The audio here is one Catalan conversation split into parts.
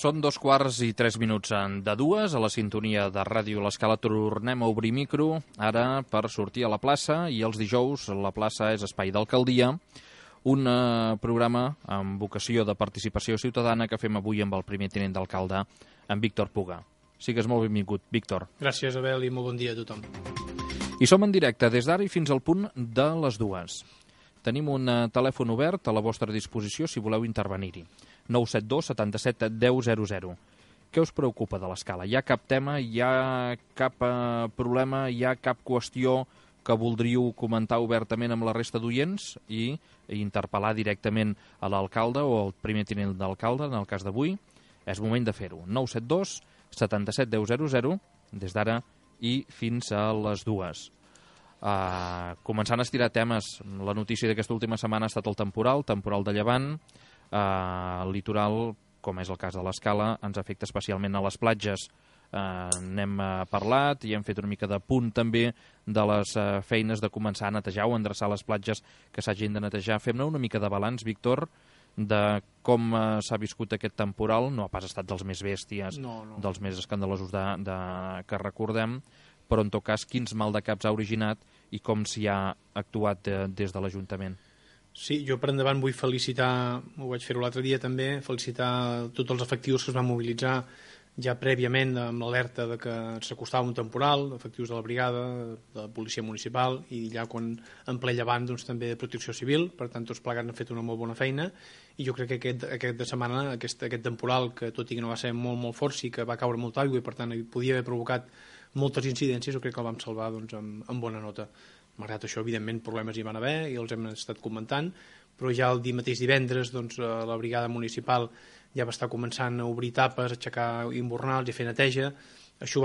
Són 2:03 de dues, a la sintonia de Ràdio L'Escala tornem a obrir micro, ara per sortir a la plaça, i els dijous la plaça és espai d'alcaldia, un programa amb vocació de participació ciutadana que fem avui amb el primer tinent d'alcalde, en Víctor Puga. Sigues molt benvingut, Víctor. Gràcies, Abel, i molt bon dia a tothom. I som en directe des d'ara i fins al punt de les 2. Tenim un telèfon obert a la vostra disposició si voleu intervenir-hi. 972 77 10 00. Què us preocupa de l'Escala? Hi ha cap tema, hi ha cap problema, hi ha cap qüestió que voldríeu comentar obertament amb la resta d'oients i interpel·lar directament a l'alcalde o al primer tinent d'alcalde, en el cas d'avui? És moment de fer-ho. 972 77 10 00, des d'ara i fins a les 2. Començant a estirar temes, la notícia d'aquesta última setmana ha estat el temporal de llevant. El litoral, com és el cas de l'Escala, ens afecta especialment a les platges. N'hem parlat i hem fet una mica de punt també de les feines de començar a netejar o endreçar les platges que s'hagin de netejar. Fem-ne una mica de balanç, Víctor, de com s'ha viscut aquest temporal. No ha pas estat dels més bèsties, No. dels més escandalosos que recordem, però en tot cas quins maldecaps ha originat i com s'hi ha actuat des de l'Ajuntament. Sí, jo per endavant vull felicitar, ho vaig fer-ho l'altre dia també, felicitar tots els efectius que es van mobilitzar ja prèviament amb l'alerta de que s'acostava un temporal, efectius de la brigada, de la policia municipal i ja quan en ple llevant doncs, també de protecció civil, per tant tots plegats han fet una molt bona feina i jo crec que aquesta setmana aquest temporal, que tot i que no va ser molt fort, sí que va caure molta aigua i per tant podia haver provocat moltes incidències, jo crec que el vam salvar doncs, amb bona nota. Malgrat això, evidentment, problemes hi van haver i els hem estat comentant, però ja el mateix divendres doncs, la brigada municipal ja va estar començant a obrir tapes, a aixecar imbornals i a fer neteja. Això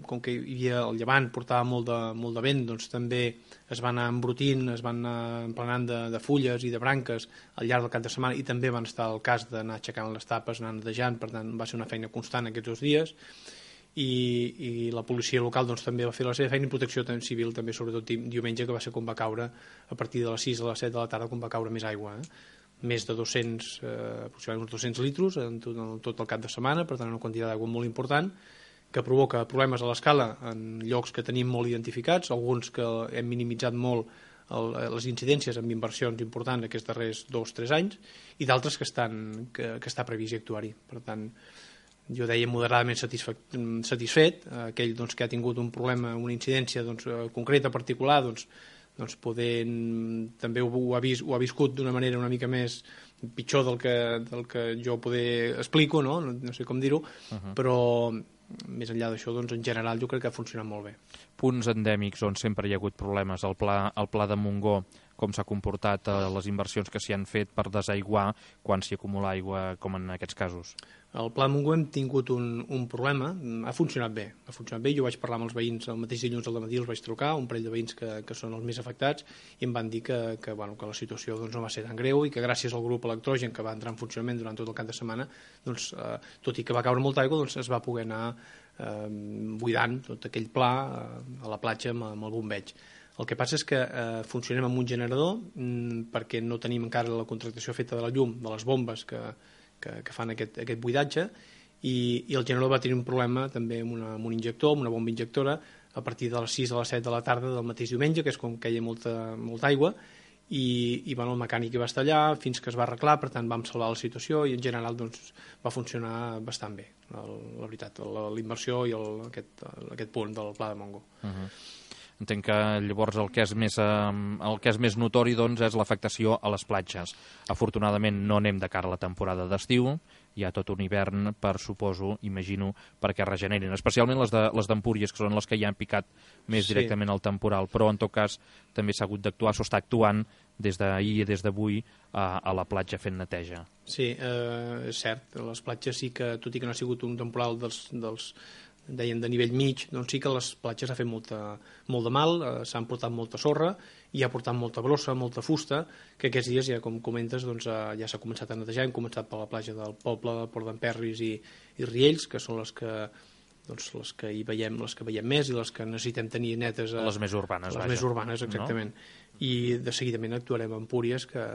com que hi havia el llevant, portava molt de vent, doncs també es van anar embrutint, es van anar emplenant de fulles i de branques al llarg del cap de setmana i també van estar al cas d'anar aixecant les tapes, anar netejant, per tant va ser una feina constant aquests 2 dies. I la policia local doncs, també va fer la seva feina i protecció civil també, sobretot diumenge, que va ser quan va caure a partir de les 6 a les 7 de la tarda, quan va caure més aigua, més de 200, aproximadament uns 200 litres en tot el cap de setmana, per tant una quantitat d'aigua molt important que provoca problemes a l'Escala en llocs que tenim molt identificats, alguns que hem minimitzat molt les incidències amb inversions importants aquests darrers 2-3 anys i d'altres que està previst actuar-hi. Per tant, jo deia moderadament satisfet, aquell doncs, que ha tingut un problema, una incidència doncs, concreta, particular, doncs poder, també ho ha viscut d'una manera una mica més pitjor del que jo poder explico, no sé com dir-ho, però més enllà d'això, doncs, en general jo crec que ha funcionat molt bé. Punts endèmics on sempre hi ha hagut problemes, el pla de Montgó, com s'ha comportat les inversions que s'hi han fet per desaiguar quan s'hi acumula aigua, com en aquests casos? El Pla de Montgó hem tingut un problema, ha funcionat bé, jo vaig parlar amb els veïns el mateix dilluns al matí, els vaig trucar, un parell de veïns que són els més afectats, i em van dir que la situació doncs, no va ser tan greu i que gràcies al grup electrogen que va entrar en funcionament durant tot el cap de setmana, doncs, tot i que va caure molta aigua, doncs, es va poder anar buidant tot aquell pla a la platja amb el bombeig. El que passa és que funcionem amb un generador perquè no tenim encara la contractació feta de la llum, de les bombes que fan aquest buidatge i el generador va tenir un problema també amb un injector, amb una bomba injectora a partir de les 6 a les 7 de la tarda del mateix diumenge, que és quan queia molta aigua i el mecànic hi va estar allà fins que es va arreglar, per tant vam salvar la situació i en general doncs, va funcionar bastant bé, la veritat, la immersió i aquest punt del Pla de Montgó. Entenc que llavors el que és més notori doncs, és l'afectació a les platges. Afortunadament no anem de cara a la temporada d'estiu, hi ha tot un hivern per, suposo, imagino, perquè regenerin, especialment les d'Empúries, que són les que ja han picat més directament al temporal, però en tot cas també s'ha hagut d'actuar, s'ho està actuant des d'ahir i des d'avui a la platja fent neteja. Sí, és cert, les platges sí que, tot i que no ha sigut un temporal dels dèiem de nivell mig, doncs sí que les platges ha fet molt de mal, s'han portat molta sorra i ha portat molta brossa, molta fusta, que aquests dies, ja com comentes, doncs, ja s'ha començat a netejar. Hem començat per la platja del poble, Port d'Emperris i Riells, que són les que hi veiem més i les que necessitem tenir netes. Les més urbanes, les més urbanes, exactament. No? I de seguidament actuarem a Empúries, que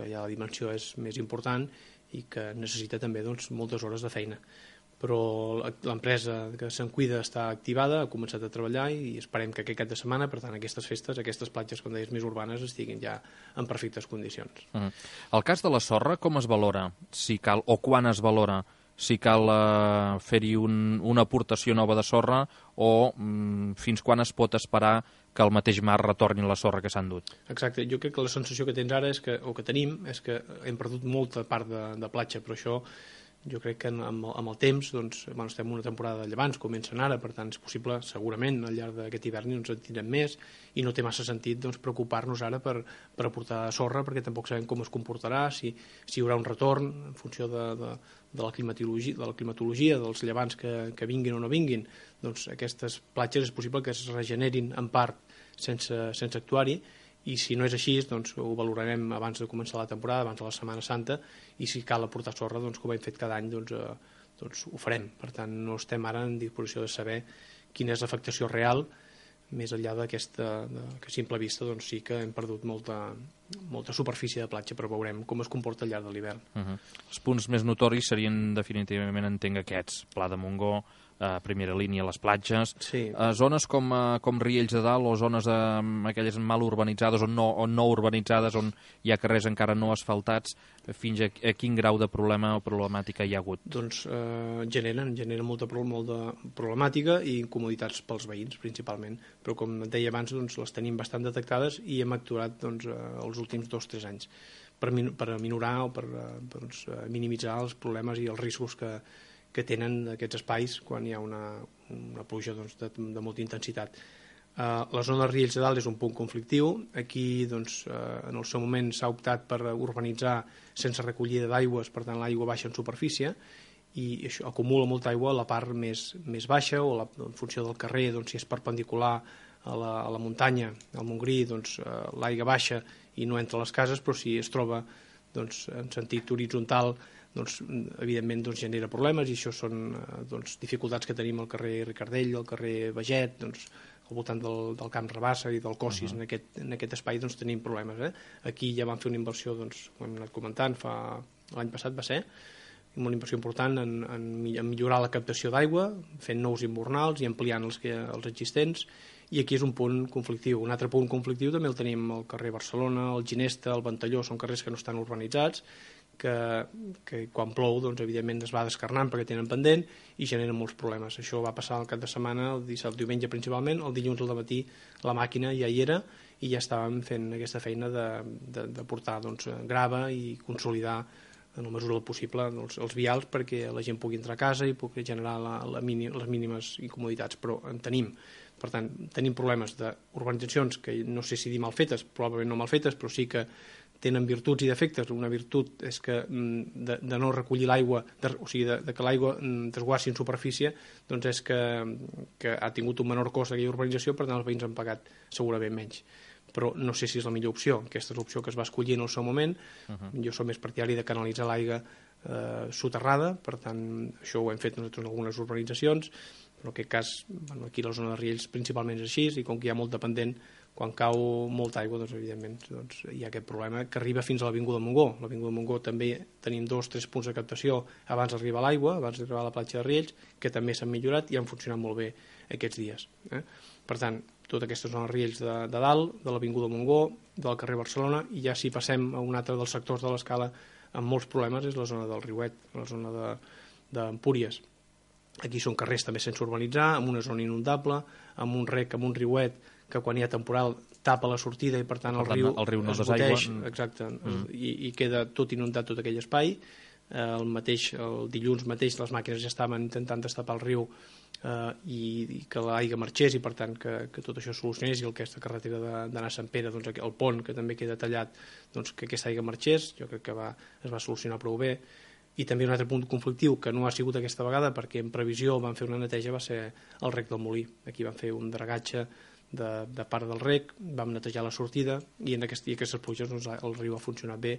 ja la dimensió és més important i que necessita també doncs, moltes hores de feina. Però l'empresa que se'n cuida està activada, ha començat a treballar i esperem que aquest cap de setmana, per tant, aquestes festes, aquestes platges, com deies, més urbanes, estiguin ja en perfectes condicions. El cas de la sorra, com es valora? Si cal, o quan es valora? Si cal fer-hi una aportació nova de sorra o fins quan es pot esperar que el mateix mar retorni la sorra que s'ha endut? Exacte, jo crec que la sensació que tens ara o que tenim és que hem perdut molta part de platja, però això jo crec que amb el temps doncs, estem en una temporada de llevants, comencen ara, per tant és possible, segurament, al llarg d'aquest hivern ens en tindrem més i no té massa sentit doncs, preocupar-nos ara per aportar sorra, perquè tampoc sabem com es comportarà, si hi haurà un retorn en funció de la climatologia, dels llevants que vinguin o no vinguin. Doncs aquestes platges és possible que es regenerin en part sense actuar-hi, i si no és així, doncs ho valorarem abans de començar la temporada, abans de la Setmana Santa, i si cal aportar sorra, doncs, com hem fet cada any, doncs ho farem. Per tant, no estem ara en disposició de saber quina és l'afectació real, més enllà d'aquesta, que a simple vista doncs, sí que hem perdut molta superfície de platja, però veurem com es comporta al llarg de l'hivern. Els punts més notoris serien definitivament, entenc, aquests: Pla de Montgó, primera línia, les platges, sí. Zones com Riells de Dalt o zones aquelles mal urbanitzades o no urbanitzades, on hi ha carrers encara no asfaltats, fins a quin grau de problema o problemàtica hi ha hagut? Doncs generen molta problemàtica i incomoditats pels veïns, principalment, però com et deia abans, doncs, les tenim bastant detectades i hem actuat doncs, els últims 2 o 3 anys per minorar o per minimitzar els problemes i els riscos que tenen aquests espais quan hi ha una pluja doncs, de molta intensitat. La zona de Riells de Dalt és un punt conflictiu. Aquí doncs, en el seu moment s'ha optat per urbanitzar sense recollida d'aigües, per tant l'aigua baixa en superfície i això acumula molta aigua a la part més baixa o en funció del carrer, doncs, si és perpendicular a la muntanya, al Montgrí, doncs, l'aigua baixa i no entra a les cases, però si es troba doncs, en sentit horitzontal, doncs, evidentment doncs, genera problemes, i això són doncs, dificultats que tenim al carrer Ricardell, al carrer Beget, doncs, al voltant del Camp Rabassa i del Cossis. En aquest espai doncs, tenim problemes. Aquí ja vam fer una inversió, doncs, ho hem anat comentant, l'any passat va ser, una inversió important en millorar la captació d'aigua, fent nous imbornals i ampliant els existents, i aquí és un punt conflictiu. Un altre punt conflictiu també el tenim al carrer Barcelona, el Ginesta, el Ventalló, són carrers que no estan urbanitzats, que quan plou, doncs, evidentment es va descarnant perquè tenen pendent i generen molts problemes. Això va passar el cap de setmana, el diumenge principalment, el dilluns al matí la màquina ja hi era i ja estàvem fent aquesta feina de portar doncs, grava i consolidar en la mesura del possible els vials perquè la gent pugui entrar a casa i pugui generar les mínimes incomoditats, però en tenim. Per tant, tenim problemes d'urbanitzacions que no sé si dir mal fetes, probablement no mal fetes, però sí que tenen virtuts i defectes. Una virtut és que de no recollir l'aigua, o sigui, de que l'aigua desguassi en superfície, doncs és que ha tingut un menor cost aquella urbanització, per tant els veïns han pagat segurament menys. Però no sé si és la millor opció. Aquesta és l'opció que es va escollir en el seu moment. Jo som més partidari de canalitzar l'aigua soterrada, per tant això ho hem fet nosaltres en algunes urbanitzacions, però en aquest cas aquí a la zona de Riells principalment és així, i com que hi ha molt dependent, quan cau molta aigua, doncs, evidentment doncs, hi ha aquest problema que arriba fins a l'Avinguda Montgó. A l'Avinguda Montgó també tenim 2 o 3 punts de captació abans d'arribar a l'aigua, abans d'arribar a la platja de Riells, que també s'han millorat i han funcionat molt bé aquests dies. Per tant, tota aquesta zona de Riells de Dalt, de l'Avinguda Montgó, del carrer Barcelona, i ja si passem a un altre dels sectors de l'escala amb molts problemes és la zona del Riuet, la zona d'Empúries. Aquí són carrers també sense urbanitzar, amb una zona inundable, amb un rec, amb un riuet que quan hi ha temporal tapa la sortida i per tant el riu no es boteix, exacte, i queda tot inundat tot aquell espai. El dilluns mateix les màquines ja estaven intentant destapar el riu i que l'aigua marxés i per tant que tot això solucionés, i aquesta carretera d'anar a Sant Pere, doncs, el pont que també queda tallat, doncs, que aquesta aigua marxés. Jo crec que es va solucionar prou bé. I també un altre punt conflictiu que no ha sigut aquesta vegada perquè en previsió van fer una neteja va ser el rec del Molí. Aquí van fer un dragatge de part del rec, vam netejar la sortida i en aquestes pluges doncs, el riu ha funcionat bé,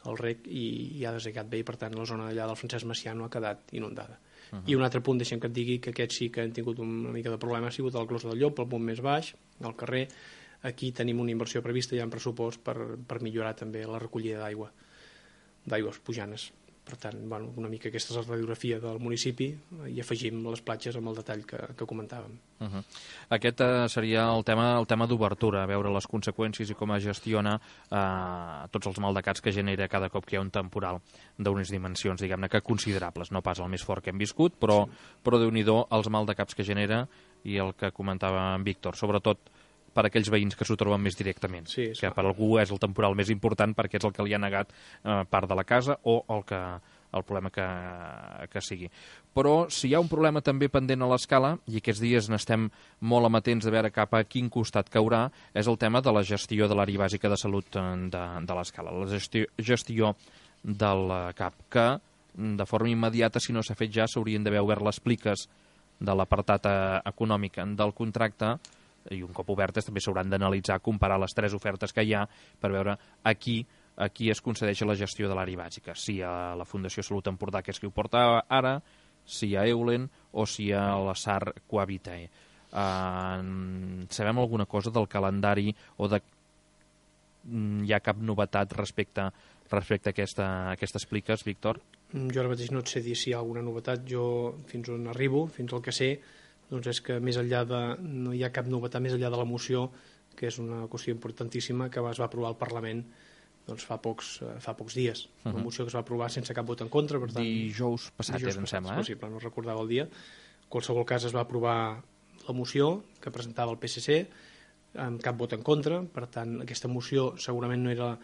el rec, i ha desegat bé, i per tant la zona allà del Francesc Macià no ha quedat inundada. I un altre punt, deixem que et digui que aquests sí que han tingut una mica de problema, ha sigut el Clos del Llop, el punt més baix, al carrer. Aquí tenim una inversió prevista ja en pressupost per millorar també la recollida d'aigües pujanes. Per tant, una mica aquesta és la radiografia del municipi i afegim les platges amb el detall que comentàvem. Aquest seria el tema d'obertura, veure les conseqüències i com es gestiona tots els maldecats que genera cada cop que hi ha un temporal d'unes dimensions, diguem-ne, que considerables, no pas el més fort que hem viscut, però Déu-n'hi-do els maldecaps que genera i el que comentava en Víctor, sobretot per aquells veïns que s'ho troben més directament, que per algú és el temporal més important perquè és el que li ha negat part de la casa o el problema que sigui. Però si hi ha un problema també pendent a l'escala, i aquests dies n'estem molt amatents de veure cap a quin costat caurà, és el tema de la gestió de l'àrea bàsica de salut de l'escala, la gestió del CAP, que de forma immediata, si no s'ha fet ja, s'haurien d'haver obert les pliques de l'apartat econòmic del contracte, i un cop obertes també s'hauran d'analitzar, comparar les 3 ofertes que hi ha per veure a qui es concedeix la gestió de l'àrea bàsica, si a la Fundació Salut Empordà, que és qui ho porta ara, si a Eulen o si a la SAR Cohabitae. Sabem alguna cosa del calendari o hi ha cap novetat respecte a aquestes pliques, Víctor? Jo ara mateix no et sé dir si hi ha alguna novetat. Jo, fins on arribo, fins al que sé, doncs és que més enllà no hi ha cap novetat més enllà de la moció, que és una qüestió importantíssima que es va aprovar al Parlament doncs fa pocs dies. Una moció que es va aprovar sense cap vot en contra. Per tant, dijous passat, em sembla. És possible, no recordava el dia. En qualsevol cas es va aprovar la moció que presentava el PSC amb cap vot en contra. Per tant, aquesta moció segurament no era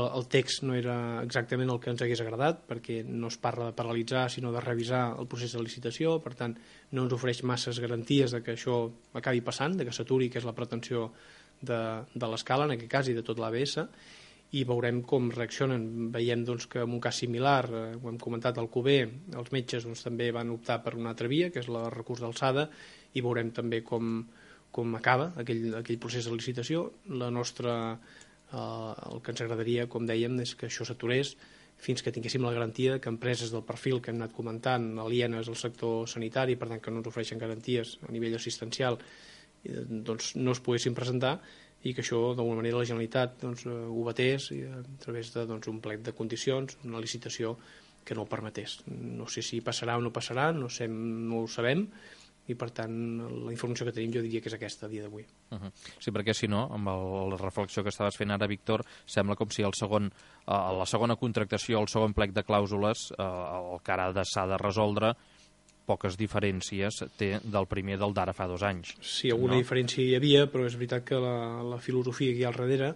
el text, no era exactament el que ens hagués agradat, perquè no es parla de paralitzar sinó de revisar el procés de licitació. Per tant, no ens ofereix masses garanties de que això acabi passant, de que s'aturi, que és la pretensió de l'escala en aquest cas i de tot l'ABS, i veurem com reaccionen. Veiem doncs, que en un cas similar, ho hem comentat, al Cuber, els metges doncs, també van optar per una altra via, que és el recurs d'alçada, i veurem també com acaba aquell procés de licitació. El que ens agradaria, com dèiem, és que això s'aturés fins que tinguéssim la garantia que empreses del perfil que hem anat comentant, alienes al sector sanitari, per tant que no ens ofereixen garanties a nivell assistencial, doncs no es poguessin presentar, i que això d'alguna manera la Generalitat ho batés a través d'un plec de condicions, una licitació que no ho permetés. No sé si passarà o no passarà, no ho sabem, i per tant la informació que tenim jo diria que és aquesta a dia d'avui. Sí, perquè si no, amb la reflexió que estaves fent ara, Víctor, sembla com si la segona contractació, el segon plec de clàusules, el que ara s'ha de resoldre, poques diferències té del primer del d'ara fa 2 anys. Sí, alguna diferència hi havia, però és veritat que la filosofia que hi ha al darrere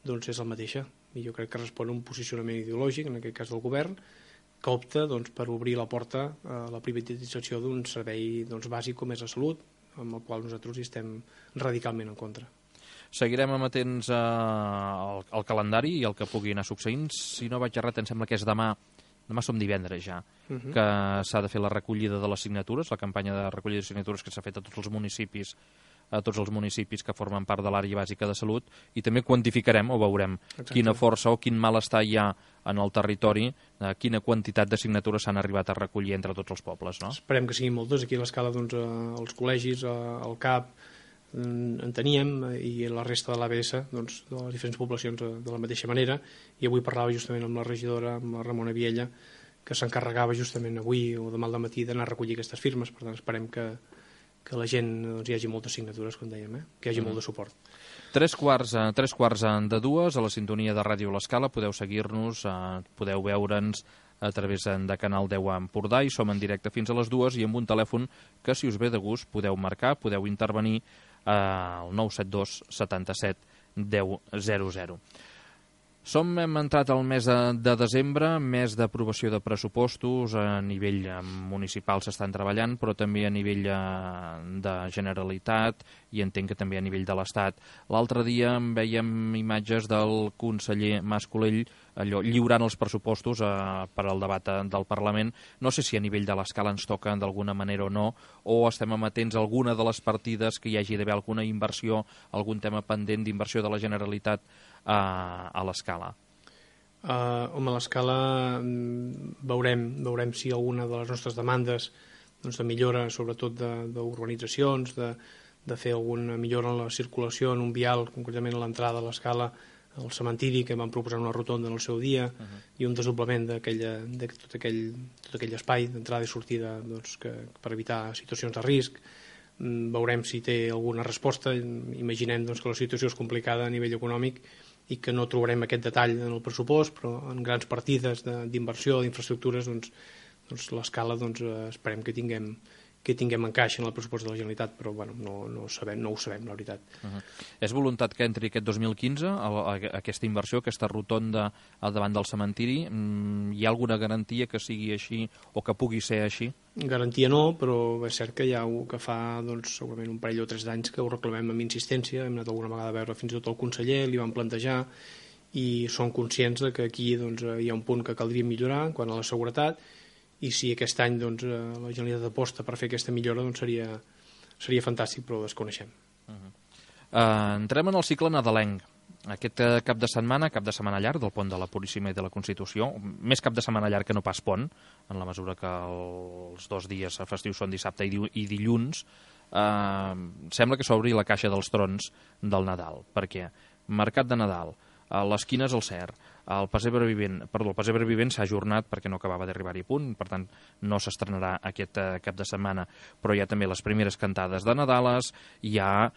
doncs és la mateixa, i jo crec que respon a un posicionament ideològic, en aquest cas del govern, que opta per obrir la porta a la privatització d'un servei bàsic com és la salut, amb el qual nosaltres hi estem radicalment en contra. Seguirem amatents al calendari i el que pugui anar succeint. Si no vaig errat, em sembla que és demà som divendres ja, que s'ha de fer la recollida de les signatures, la campanya de recollida de signatures que s'ha fet a tots els municipis que formen part de l'àrea bàsica de salut, i també quantificarem o veurem quina força o quin malestar hi ha en el territori, quina quantitat de signatures s'han arribat a recollir entre tots els pobles. No? Esperem que siguin moltes. Aquí a l'escala els col·legis, el CAP, en teníem, i la resta de l'ABS, de les diferents poblacions de la mateixa manera, i avui parlava justament amb la regidora, amb la Ramona Viella, que s'encarregava justament avui o demà al matí d'anar a recollir aquestes firmes. Per tant, esperem que la gent hi hagi moltes signatures, com dèiem, que hi hagi molt de suport. 3:45 a la sintonia de Ràdio L'Escala. Podeu seguir-nos, podeu veure'ns a través de Canal 10 a Empordà, i som en directe fins a les 2, i amb un telèfon que, si us ve de gust, podeu marcar, podeu intervenir al 972 77 10 00. Hem entrat al mes de desembre, mes d'aprovació de pressupostos. A nivell municipal s'estan treballant, però també a nivell de Generalitat, i entenc que també a nivell de l'Estat. L'altre dia veiem imatges del conseller Mas Colell lliurant els pressupostos per al debat del Parlament. No sé si a nivell de l'escala ens toca d'alguna manera o no, o estem amatents a alguna de les partides que hi hagi d'haver alguna inversió, algun tema pendent d'inversió de la Generalitat a l'escala. A l'escala veurem si alguna de les nostres demandes de millora, sobretot d'urbanitzacions, de fer alguna millora en la circulació en un vial, concretament a l'entrada de l'escala, el cementiri, que vam proposar una rotonda en el seu dia, i un desdoblament de tot aquell espai d'entrada i sortida, doncs, per evitar situacions de risc. Veurem si té alguna resposta. Imaginem, doncs, que la situació és complicada a nivell econòmic i que no trobarem aquest detall en el pressupost, però en grans partides d'inversió, d'infraestructures, doncs l'escala, doncs, esperem que tinguem encaix en el pressupost de la Generalitat, però bueno, no ho sabem, la veritat. És voluntat que entri aquest 2015 aquesta inversió, aquesta rotonda al davant del cementiri? Hi ha alguna garantia que sigui així o que pugui ser així? Garantia no, però és cert que hi ha que fa, doncs, segurament un parell o 3 d'anys que ho reclamem amb insistència. Hem anat alguna vegada a veure fins i tot el conseller, li vam plantejar, i són conscients de que aquí, doncs, hi ha un punt que caldria millorar quant a la seguretat, i si aquest any, doncs, la Generalitat aposta per fer aquesta millora, doncs seria fantàstic, però ho desconeixem. Entrem en el cicle nadalenc. Aquest cap de setmana llarg del pont de la Puríssima i de la Constitució, més cap de setmana llarg que no pas pont, en la mesura que els 2 dies festius són dissabte i dilluns, sembla que s'obri la caixa dels trons del Nadal. Per què? Mercat de Nadal, a l'esquina és el Cert, el pessebre vivent s'ha ajornat perquè no acabava d'arribar-hi a punt, per tant no s'estrenarà aquest cap de setmana, però hi ha també les primeres cantades de Nadales, hi ha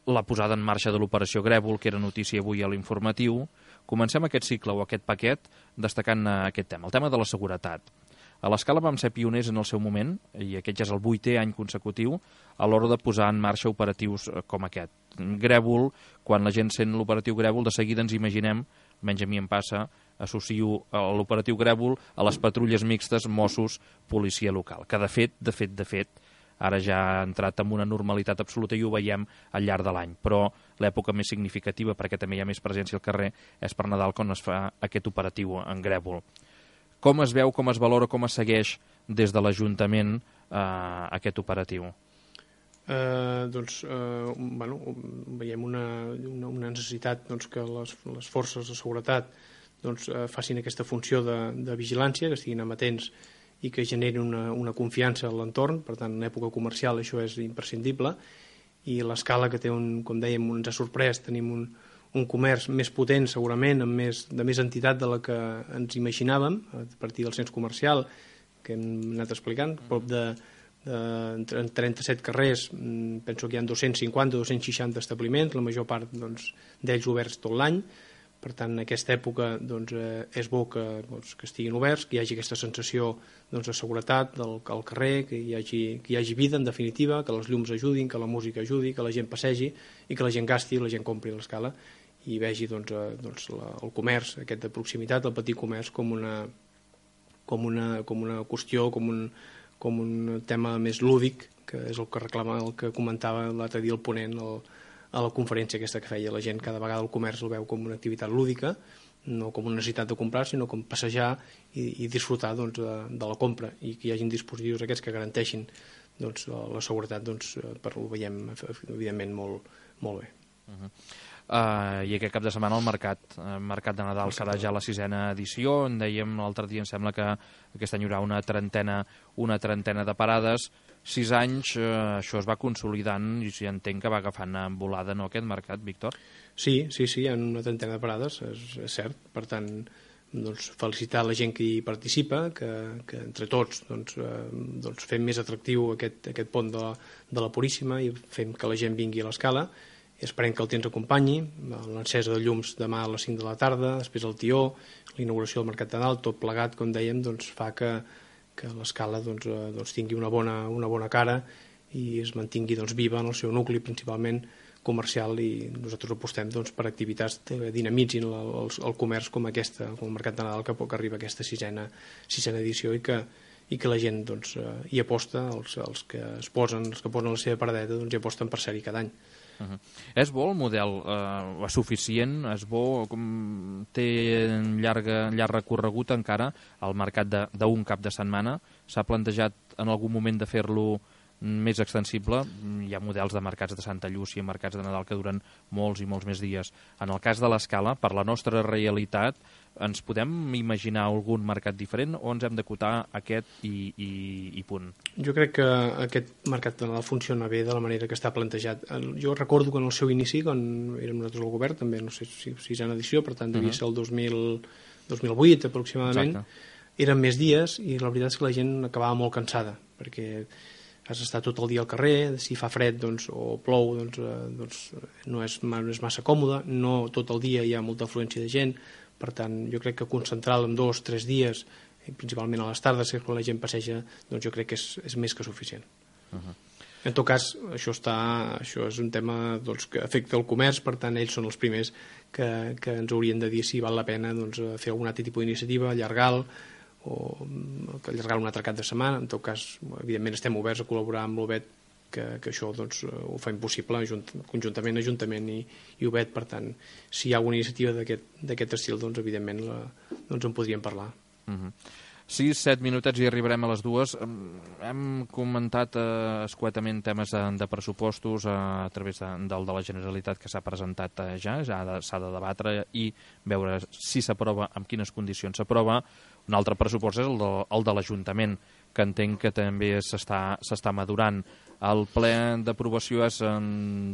la posada en marxa de l'operació Grèvol, que era notícia avui a l'informatiu. Comencem aquest cicle o aquest paquet destacant aquest tema, el tema de la seguretat. A l'Escala vam ser pioners en el seu moment, i aquest ja és el 8è any consecutiu, a l'hora de posar en marxa operatius com aquest. Grèvol, quan la gent sent l'operatiu Grèvol, de seguida ens imaginem, almenys a mi em passa, associo l'operatiu Grèvol a les patrulles mixtes Mossos, policia local, que de fet, ara ja ha entrat en una normalitat absoluta i ho veiem al llarg de l'any, però l'època més significativa, perquè també hi ha més presència al carrer, és per Nadal, quan es fa aquest operatiu en Grèvol. Com es veu, com es valora, com es segueix des de l'Ajuntament aquest operatiu? Veiem una necessitat, doncs, que les forces de seguretat, doncs, facin aquesta funció de vigilància, que estiguin amatents i que generin una confiança en l'entorn. Per tant, en època comercial això és imprescindible, i l'Escala, que té, com dèiem, ens ha sorprès, tenim un comerç més potent, segurament, de més entitat de la que ens imaginàvem, a partir del cens comercial que hem anat explicant, prop de 37 carrers, penso que hi ha 250 o 260 establiments, la major part, doncs, d'ells oberts tot l'any. Per tant, en aquesta època, doncs, és bo que estiguin oberts, que hi hagi aquesta sensació, doncs, de seguretat al carrer, que hi hagi vida, en definitiva, que les llums ajudin, que la música ajudi, que la gent passegi i que la gent gasti, la gent compri a l'Escala i vegi, doncs, el comerç aquest de proximitat, el petit comerç, com una qüestió, com un tema més lúdic, que és el que reclama, el que comentava l'altre dia el ponent a la conferència aquesta que feia. La gent cada vegada el comerç el veu com una activitat lúdica, no com una necessitat de comprar, sinó com passejar i disfrutar, doncs, de la compra, i que hi hagin dispositius aquests que garanteixin, doncs, la seguretat, doncs, ho veiem evidentment molt bé. I aquest cap de setmana el mercat de Nadal serà ja la 6a edició. En dèiem l'altre dia, em sembla que aquest any hi haurà una trentena de parades. 6 anys, això es va consolidant i entenc que va agafant volada, no, aquest mercat, Víctor? Sí, hi ha una trentena de parades, és cert. Per tant, doncs, felicitar la gent que hi participa, que entre tots, doncs, fem més atractiu aquest pont de la Puríssima i fem que la gent vingui a l'Escala. Esperem que el temps acompanyi, l'encesa de llums demà a les 5 de la tarda, després el tió, l'inauguració del Mercat de Nadal, tot plegat, com dèiem, doncs, fa que l'Escala, doncs, tingui una bona cara i es mantingui, doncs, viva en el seu nucli, principalment comercial, i nosaltres apostem, doncs, per activitats que dinamitzin el comerç com el Mercat de Nadal, que arriba a aquesta sisena edició, i que la gent, doncs, hi aposta, els que posen la seva paradeta, doncs, hi aposten per ser-hi cada any. És bo el model, és suficient, és bo, té llarg recorregut encara el mercat d'un cap de setmana? S'ha plantejat en algun moment de fer-lo més extensible. Hi ha models de mercats de Santa Llúcia, mercats de Nadal que duren molts i molts més dies. En el cas de l'Escala, per la nostra realitat, ens podem imaginar algun mercat diferent o ens hem d'acotar aquest i punt? Jo crec que aquest mercat de Nadal funciona bé de la manera que està plantejat. Jo recordo que en el seu inici, quan érem nosaltres al govern, també no sé si sisena edició, per tant devia ser el 2008 aproximadament. Exacte. Eren més dies i la veritat és que la gent acabava molt cansada, perquè has d'estar tot el dia al carrer, si fa fred o plou no és massa còmode, no tot el dia hi ha molta afluència de gent, per tant jo crec que concentrar-lo en 2 o 3 dies, principalment a les tardes, que quan la gent passeja, doncs jo crec que és més que suficient. En tot cas, això és un tema que afecta el comerç, per tant ells són els primers que ens haurien de dir si val la pena fer algun altre tipus d'iniciativa, allargar-lo un altre cap de setmana. En tot cas, evidentment estem oberts a col·laborar amb l'UBET, que això ho fa impossible conjuntament Ajuntament i UBET. Per tant, si hi ha alguna iniciativa d'aquest estil, doncs evidentment en podríem parlar. 6-7 minutets i arribarem a les 2. Hem comentat escuetament temes de pressupostos a través del de la Generalitat que s'ha presentat ja s'ha de debatre i veure si s'aprova, en quines condicions s'aprova. Un altre pressupost és el de l'Ajuntament, que entenc que també s'està madurant. El ple d'aprovació és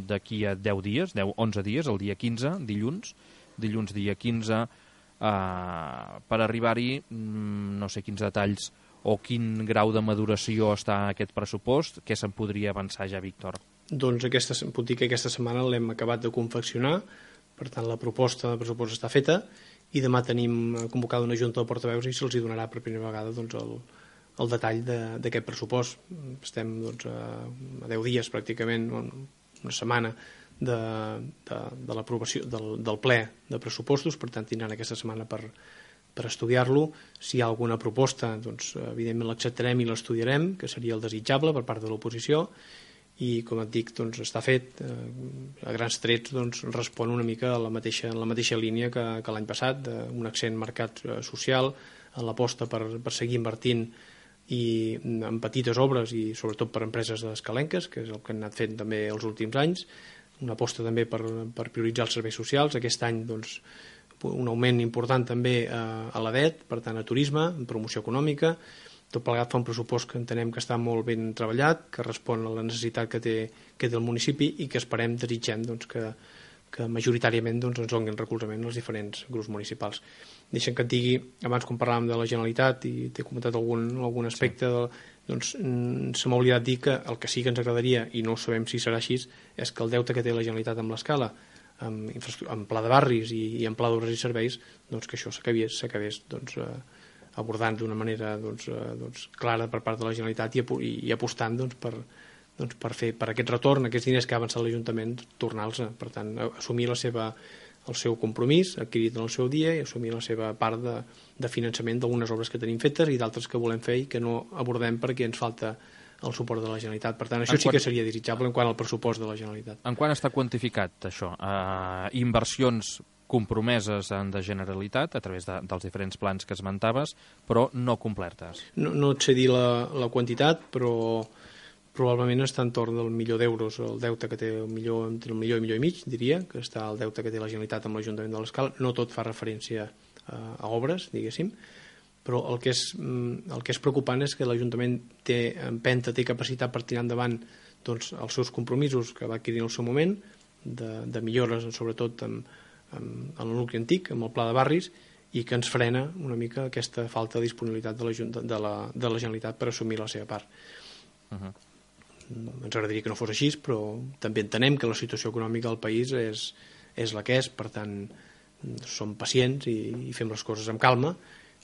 d'aquí a 10 dies, 11 dies, el dia 15, dilluns dia 15, per arribar-hi, no sé quins detalls o quin grau de maduració està aquest pressupost, què se'n podria avançar ja, Víctor? Doncs puc dir que aquesta setmana l'hem acabat de confeccionar, per tant la proposta de pressupost està feta i demà tenim convocada una junta de portaveus i se'ls donarà per primera vegada el detall d'aquest pressupost. Estem a 10 dies pràcticament, una setmana de l'aprovació del ple de pressupostos, per tant tindran aquesta setmana per estudiar-lo. Si hi ha alguna proposta, evidentment l'acceptarem i l'estudiarem, que seria el desitjable per part de l'oposició, i com et dic, està fet a grans trets, respon una mica a la mateixa línia que l'any passat, un accent marcat social, a l'aposta per seguir invertint i en petites obres i sobretot per empreses escalenques, que és el que han anat fent també els últims anys, una aposta també per prioritzar els serveis socials. Aquest any un augment important també a l'ADET, per tant a turisme, en promoció econòmica. Tot plegat fa un pressupost que entenem que està molt ben treballat, que respon a la necessitat que té el municipi i que desitgem que majoritàriament ens donin recolzament als diferents grups municipals. Deixem que et digui, abans quan parlàvem de la Generalitat i t'he comentat algun aspecte, se m'ha oblidat dir que el que sí que ens agradaria, i no sabem si serà així, és que el deute que té la Generalitat amb l'Escala, en pla de barris i en pla d'obres i serveis, que això s'acabés abordant d'una manera clara per part de la Generalitat i apostant per aquest retorn, aquests diners que ha avançat l'Ajuntament, tornar-los. Per tant, assumir el seu compromís adquirit en el seu dia i assumir la seva part de finançament d'algunes obres que tenim fetes i d'altres que volem fer i que no abordem perquè ens falta el suport de la Generalitat. Per tant, això sí que seria desitjable en quant al pressupost de la Generalitat. En quant està quantificat això? Inversions compromeses de Generalitat a través dels diferents plans que esmentaves, però no complertes. No et sé dir la quantitat, però probablement està entorn del €1.000.000 el deute que té, entre el milió i mig, diria, que està el deute que té la Generalitat amb l'Ajuntament de l'Escala. No tot fa referència a obres, diguéssim, però el que és preocupant és que l'Ajuntament té capacitat per tirar endavant els seus compromisos que va adquirir en el seu moment, de millores, sobretot en el nucli antic, amb el pla de barris, i que ens frena una mica aquesta falta de disponibilitat de la Generalitat per assumir la seva part. Ens agradaria que no fos així, però també entenem que la situació econòmica del país és la que és, per tant som pacients i fem les coses amb calma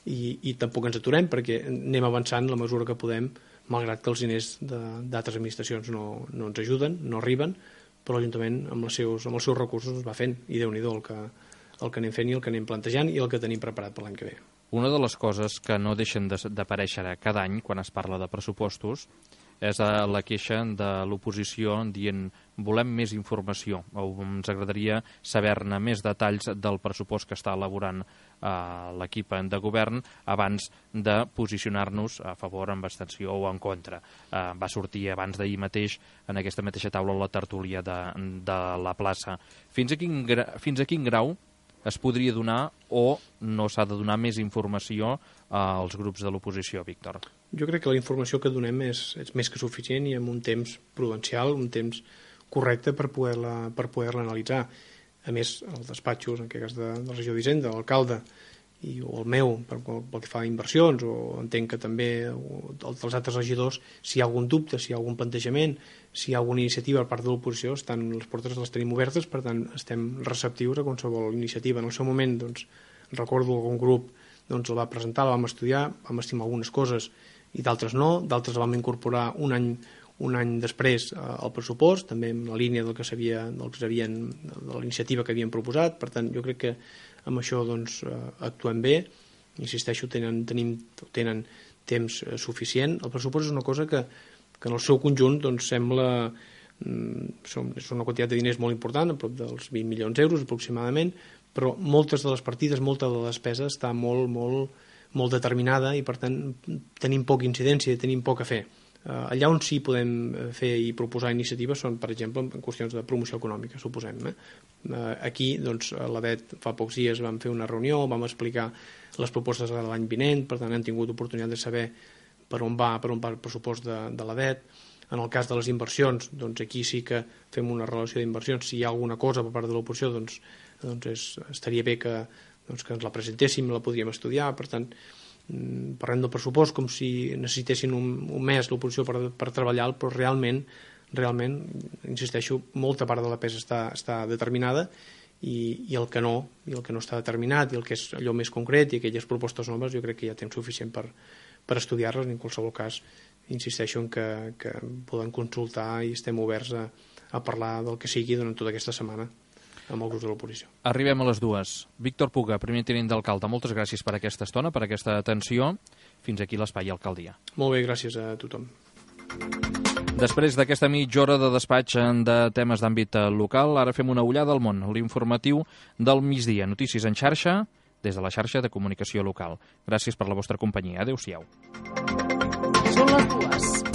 i tampoc ens aturem perquè anem avançant la mesura que podem, malgrat que els diners d'altres administracions no ens ajuden, no arriben, però l'Ajuntament amb els seus recursos es va fent, i Déu-n'hi-do el que anem fent i el que anem plantejant i el que tenim preparat per l'any que ve. Una de les coses que no deixen d'aparèixer cada any quan es parla de pressupostos és la queixa de l'oposició dient volem més informació o ens agradaria saber-ne més detalls del pressupost que està elaborant l'equip de govern abans de posicionar-nos a favor, amb abstenció o en contra. Va sortir abans d'ahir mateix en aquesta mateixa taula la tertúlia de la plaça. Fins a quin grau es podria donar o no s'ha de donar més informació als grups de l'oposició, Víctor? Jo crec que la informació que donem és més que suficient i amb un temps prudencial, un temps correcte per poder-la analitzar. A més, els despatxos, en aquest cas de la regió d'Hisenda, l'alcalde o el meu, pel que fa a inversions, o entenc que també els altres regidors, si hi ha algun dubte, si hi ha algun plantejament, si hi ha alguna iniciativa per part de l'oposició, les portes les tenim obertes, per tant estem receptius a qualsevol iniciativa. En el seu moment, recordo algun grup el va presentar, la vam estudiar, vam estimar algunes coses i d'altres no, d'altres la vam incorporar un any després al pressupost, també en la línia de la iniciativa que havien proposat. Per tant, jo crec que amb això actuem bé, insisteixo, tenen temps suficient. El pressupost és una cosa que en el seu conjunt sembla és una quantitat de diners molt important, a prop dels 20 milions d'euros aproximadament, però moltes de les partides, molta de la despesa està molt determinada i per tant tenim poca incidència, tenim poc a fer. Allà on sí podem fer i proposar iniciatives són, per exemple, en qüestions de promoció econòmica, suposem. Aquí, a l'ADET, fa pocs dies vam fer una reunió, vam explicar les propostes de l'any vinent, per tant han tingut oportunitat de saber per on va el pressupost de l'ADET. En el cas de les inversions, aquí sí que fem una relació d'inversions. Si hi ha alguna cosa per part de l'oposició, estaria bé que ens la presentéssim, la podríem estudiar. Per tant, parlem del pressupost com si necessitessin un mes l'oposició per treballar, però realment, insisteixo, molta part de la pesa està determinada i el que no està determinat i el que és allò més concret i aquelles propostes noves, jo crec que hi ha temps suficient per estudiar-les. En qualsevol cas, insisteixo en que poden consultar i estem oberts a parlar del que sigui durant tota aquesta setmana amb el grup de l'oposició. Arribem a les 2. Víctor Puga, primer tinent d'alcalde, moltes gràcies per aquesta estona, per aquesta atenció. Fins aquí l'espai Alcaldia. Molt bé, gràcies a tothom. Després d'aquesta mitja hora de despatx de temes d'àmbit local, ara fem una ullada al món, l'informatiu del migdia. Notícies en xarxa, des de la xarxa de comunicació local. Gràcies per la vostra companyia. Adéu-siau. Són les 2.